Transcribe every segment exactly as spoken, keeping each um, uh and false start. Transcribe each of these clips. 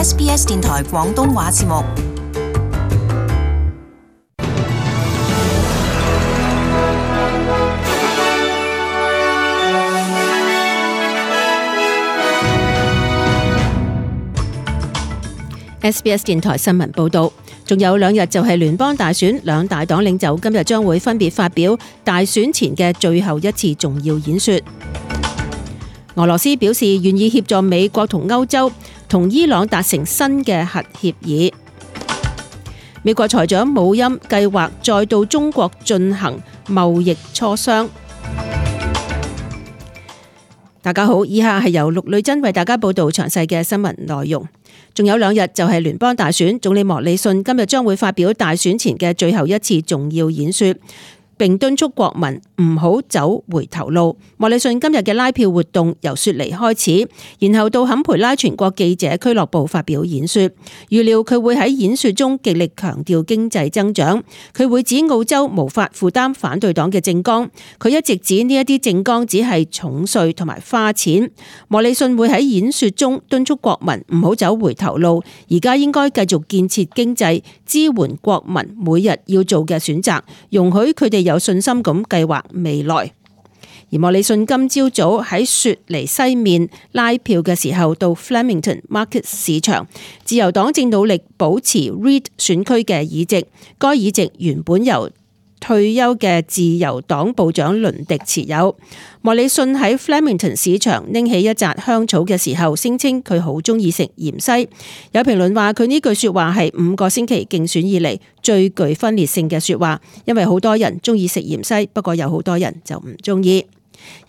S B S 電台廣東話節目。S B S 電台新聞報道，仲有兩日就係聯邦大選，兩大黨領袖今日將會分別發表大選前嘅最後一次重要演說。俄羅斯表示願意協助美國同歐洲同伊朗達成新嘅核協議。美國財長姆欽計劃再到中國進行貿易磋商。大家好，以下係由陸女珍為大家報道詳細嘅新聞內容。仲有兩日就係聯邦大選，總理莫里遜今日將會發表大選前嘅最後一次重要演說，並敦促國民唔好走回頭路。莫里遜今日嘅拉票活動由雪梨開始，然後到坎培拉全國記者俱樂部發表演說。預料佢會喺演說中極力強調經濟增長，佢會指澳洲無法負擔反對黨嘅政綱，佢一直指呢一啲政綱只係重稅同埋花錢。莫里遜會喺演說中敦促國民唔好走回頭路，而家應該繼續建設經濟，支援國民每日要做嘅選擇，容許佢哋有信心咁計劃未來。而莫里遜今朝早喺雪梨西面拉票嘅時候，到 Flemington Market 市場，自由黨正努力保持 Reid 選區嘅議席，該議席原本由退休嘅自由黨部長倫迪持有。莫里遜喺 Flemington 市場拎起一紮香草嘅時候，聲稱佢好中意食芫茜。有評論話佢呢句說話係五個星期競選以嚟最具分裂性嘅說話，因為好多人中意食芫茜，不過有好多人就唔中意。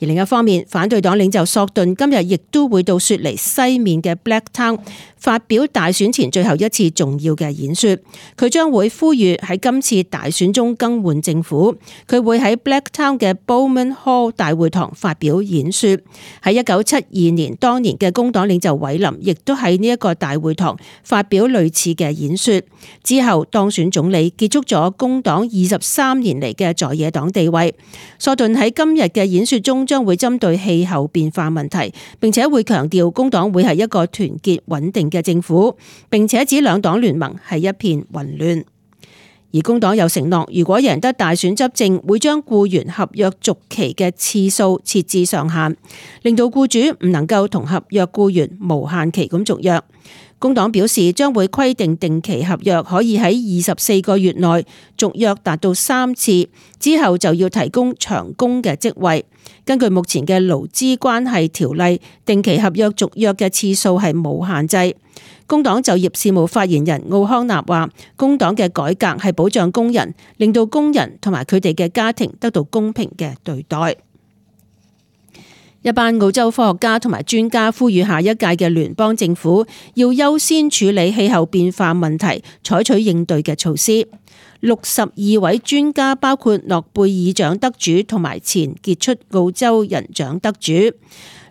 而另一方面，反對黨領袖索頓今日亦都會到雪梨西面嘅 Blacktown 發表大選前最後一次重要嘅演說。佢將會呼籲喺今次大選中更換政府。佢會喺 Blacktown 嘅 Bowman Hall 大會堂發表演說。喺一九七二年，當年嘅工黨領袖韋林亦都喺呢一個大會堂發表類似嘅演說。之後當選總理，結束咗工黨二十三年嚟嘅在野黨地位。索頓喺今日嘅演說中將會針對氣候變化問題，並且會強調工黨會係一個團結穩定嘅政府，並且指兩黨聯盟係一片混亂。而工黨又承諾，如果贏得大選執政，會將僱員合約續期嘅次數設置上限，令到僱主唔能夠同合約僱員無限期咁續約。工黨表示將會規定定期合約可以喺二十四個月內續約達到三次，之後就要提供長工嘅職位。根據目前嘅勞資關係條例，定期合約續約嘅次數係冇限制。工黨就業事務發言人奧康納話，工黨嘅改革係保障工人，令到工人同埋佢哋嘅家庭得到公平嘅對待。一班澳洲科學家同埋專家呼籲下一屆嘅聯邦政府要優先處理氣候變化問題，採取應對嘅措施。六十二位專家包括諾貝爾獎得主同埋前傑出澳洲人獎得主。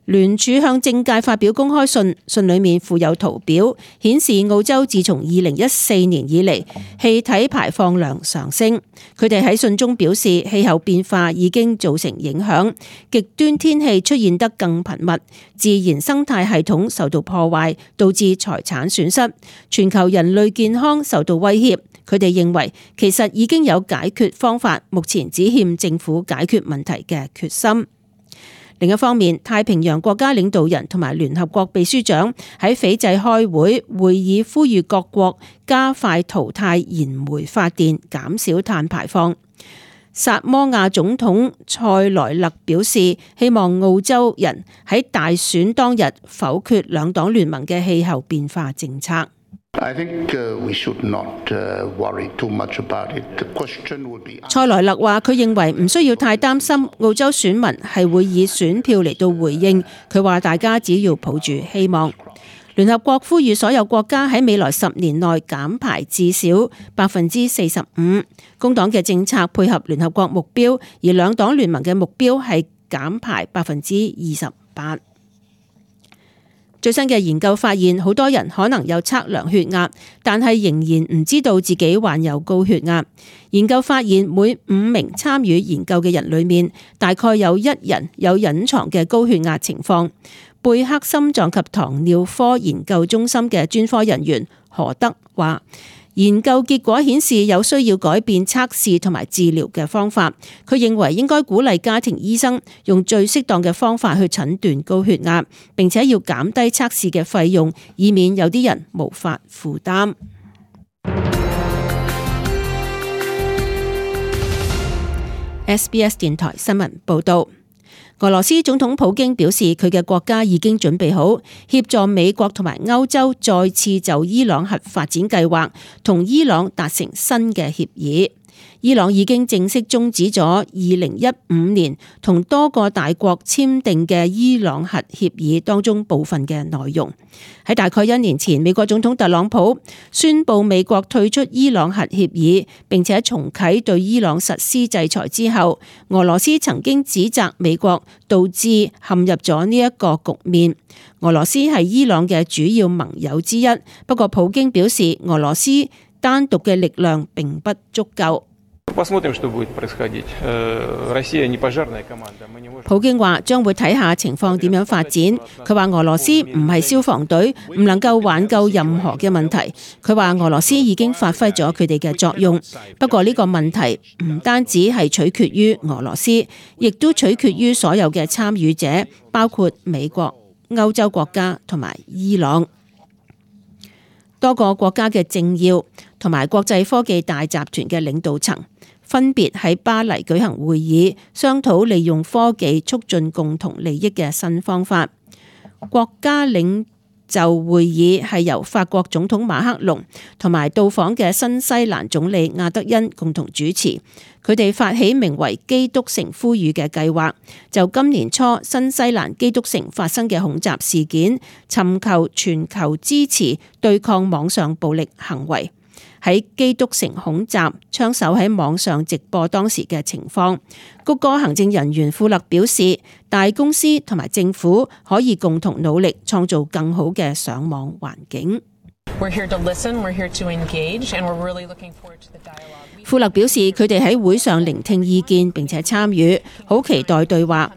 聯署向政界發表公開信，信裏面附有圖表，顯示澳洲自從二零一四年以嚟氣體排放量上升。佢哋喺信中表示，氣候變化已經造成影響，極端天氣出現得更頻密，自然生態系統受到破壞，導致財產損失，全球人類健康受到威脅。佢哋認為其實已經有解決方法，目前只欠政府解決問題嘅決心。另一方面，太平洋國家領導人同埋聯合國秘書長喺斐濟開會，會議呼籲各國加快淘汰燃煤發電，減少碳排放。薩摩亞總統塞萊勒表示，希望澳洲人喺大選當日否決兩黨聯盟嘅氣候變化政策。塞萊勒話：佢認為唔需要太擔心，澳洲選民係會以選票嚟到回應。佢話大家只要抱住希望。聯合國呼籲所有國家喺未來十年內減排至少百分之四十五。工黨嘅政策配合聯合國目標，而兩黨聯盟嘅目標係減排百分之二十八。最新嘅研究發現，好多人可能有測量血壓，但係仍然唔知道自己患有高血壓。研究發現，每五名參與研究嘅人裏面，大概有一人有隱藏嘅高血壓情況。貝克心臟及糖尿科研究中心嘅專科人員何德話，研究結果顯示有需要改變測試同埋治療嘅方法。佢認為應該鼓勵家庭醫生用最適當嘅方法去診斷高血壓，並且要減低測試嘅費用，以免有啲人無法負擔。S B S 電台新聞報道。俄羅斯總統普京表示，佢嘅國家已經準備好協助美國同埋歐洲再次就伊朗核發展計劃同伊朗達成新嘅協議。伊朗已經正式終止咗二零一五年同多個大國簽訂嘅伊朗核協議當中部分嘅內容。喺大概一年前，美國總統特朗普宣布美國退出伊朗核協議，並且重啟對伊朗實施制裁之後，俄羅斯曾經指責美國導致陷入咗呢一個局面。俄羅斯係伊朗嘅主要盟友之一，不過普京表示，俄羅斯單獨嘅力量並不足夠。普京話將會睇下情況點樣發展。佢話俄羅斯唔係消防隊，唔能夠挽救任何嘅問題。佢話俄羅斯已經發揮咗佢哋嘅作用，不過呢個問題唔單止係取決於俄羅斯，亦都取決於所有嘅參與者，包括美國、歐洲國家同埋伊朗。多個國家嘅政要同埋國際科技大集團嘅領導層分別喺巴黎舉行會議，商討利用科技促進共同利益嘅新方法。國家領袖會議係由法國總統馬克龍同埋到訪嘅新西蘭總理亞德恩共同主持。佢哋發起名為基督城呼籲嘅計劃，就今年初新西蘭基督城發生嘅恐襲事件，尋求全球支持對抗網上暴力行為。喺基督城恐襲，槍手喺網上直播當時嘅情況。谷歌行政人員庫勒表示，大公司同埋政府可以共同努力，創造更好嘅上網環境。庫勒表示，佢哋喺會上聆聽意見並且參與，好期待對話。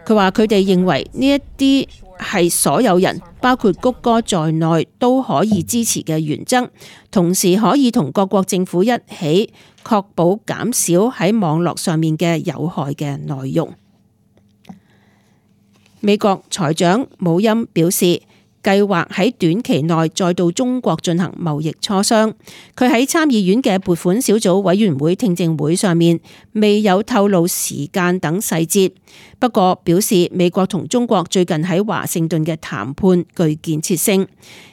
佢話佢哋認為呢一啲係所有人，包括谷歌在內都可以支持嘅原則，同時可以同各國政府一起確保減少喺網絡上面嘅有害嘅內容。美國財長姆欽表示，計劃喺短期內再到中國進行貿易磋商。佢喺參議院嘅撥款小組委員會聽證會上面未有透露時間等細節，不過表示美國同中國最近喺華盛頓嘅談判具建設性，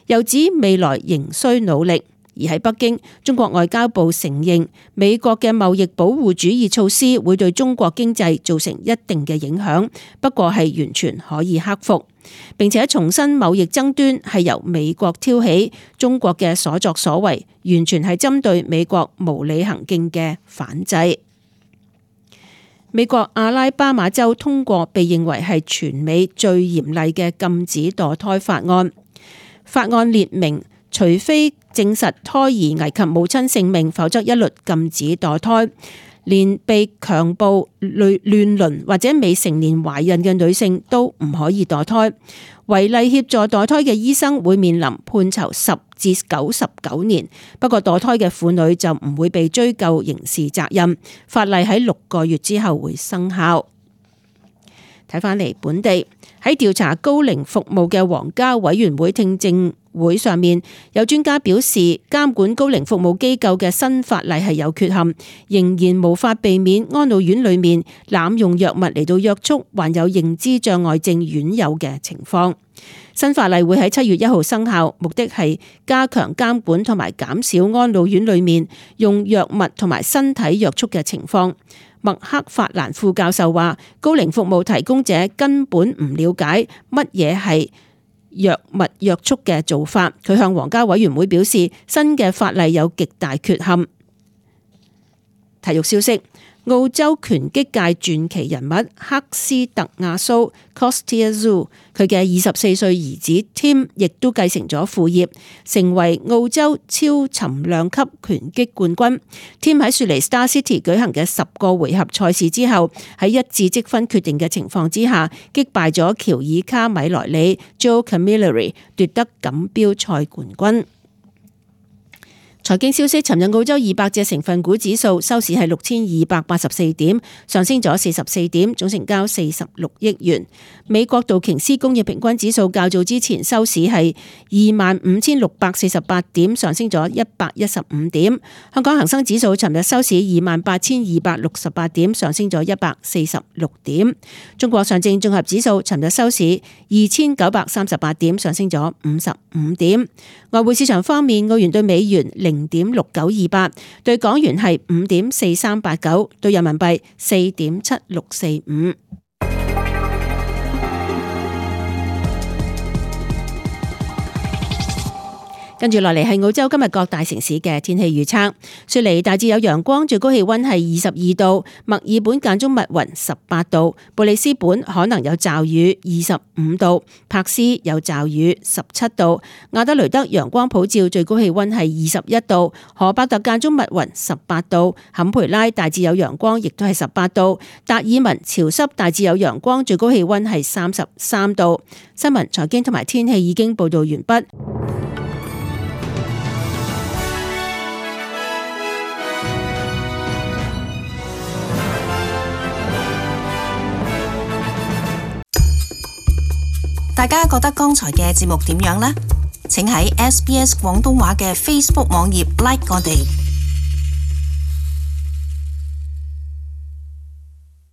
又指未來仍需努力。而喺北京，中國外交部承認美國嘅貿易保護主義措施會對中國經濟造成一定嘅影響，不過係完全可以克服。並且重申貿易爭端係由美國挑起，中國嘅所作所為完全係針對美國無理行徑嘅反制。美國阿拉巴馬州通過被認為係全美最嚴厲嘅禁止墮胎法案。法案列明，除非證實胎兒危及母親性命，否則一律禁止墮胎。連被強暴、亂倫或者未成年懷孕嘅女性都唔可以墮胎。違例協助墮胎嘅醫生會面臨判囚十至九十九年，不過墮胎嘅婦女就唔會被追究刑事責任。法例喺六個月之後會生效。睇返嚟本地，喺調查高齡服務嘅皇家委員會聽證會上面，有專家表示，監管高齡服務機構嘅新法例係有缺陷，仍然無法避免安老院裏面濫用藥物嚟到約束患有認知障礙症院友嘅情況。新法例會喺七月一號生效，目的係加強監管同埋減少安老院裏面用藥物同埋身體約束嘅情況。麥克法蘭副教授話，高齡服務提供者根本唔了解乜嘢係藥物約束嘅做法。佢向皇家委員會表示，新嘅法例有極大缺陷。體育消息，澳洲拳擊界傳奇人物克斯特亞蘇 Kostya Tszyu， 佢嘅二十四歲兒子 Tim 亦都繼承咗父業，成為澳洲超沉量級拳擊冠軍。Tim 喺雪梨 Star City 舉行嘅十個回合賽事之後，喺一致積分決定嘅情況之下，擊敗咗喬爾卡米萊里 Joe Camilleri， 奪得錦標賽冠軍。財經消息，尋日澳洲二百隻成分股指數收市係六千二百八十四點，上升咗四十四點，總成交四十六億元。美國道瓊斯工業平均指數較早之前收市係二萬五千六百四十八點，上升咗一百一十五點。香港恒生指數尋日收市二萬八千二百六十八點，上升咗一百四十六點。中國上證綜合指數尋日收市二千九百三十八點，上升咗五十五點。外匯市場方面，澳元對美元零點六九二八，對港元係五點四三八九，對人民幣四點七六四五。跟住落嚟係澳洲今日各大城市嘅天氣預測。雪梨大致有陽光，最高氣溫係二十二度；墨爾本間中密雲，十八度；布里斯本可能有驟雨，二十五度；柏斯有驟雨，十七度；亞德雷德陽光普照，最高氣溫係二十一度；荷伯特間中密雲，十八度；坎培拉大致有陽光，亦都係十八度；達爾文潮濕大致有陽光，最高氣溫係三十三度。新聞、財經同埋天氣已經報道完畢。大家覺得剛才嘅節目點樣呢？請喺 S B S 廣東話嘅 Facebook 網頁 like 我哋。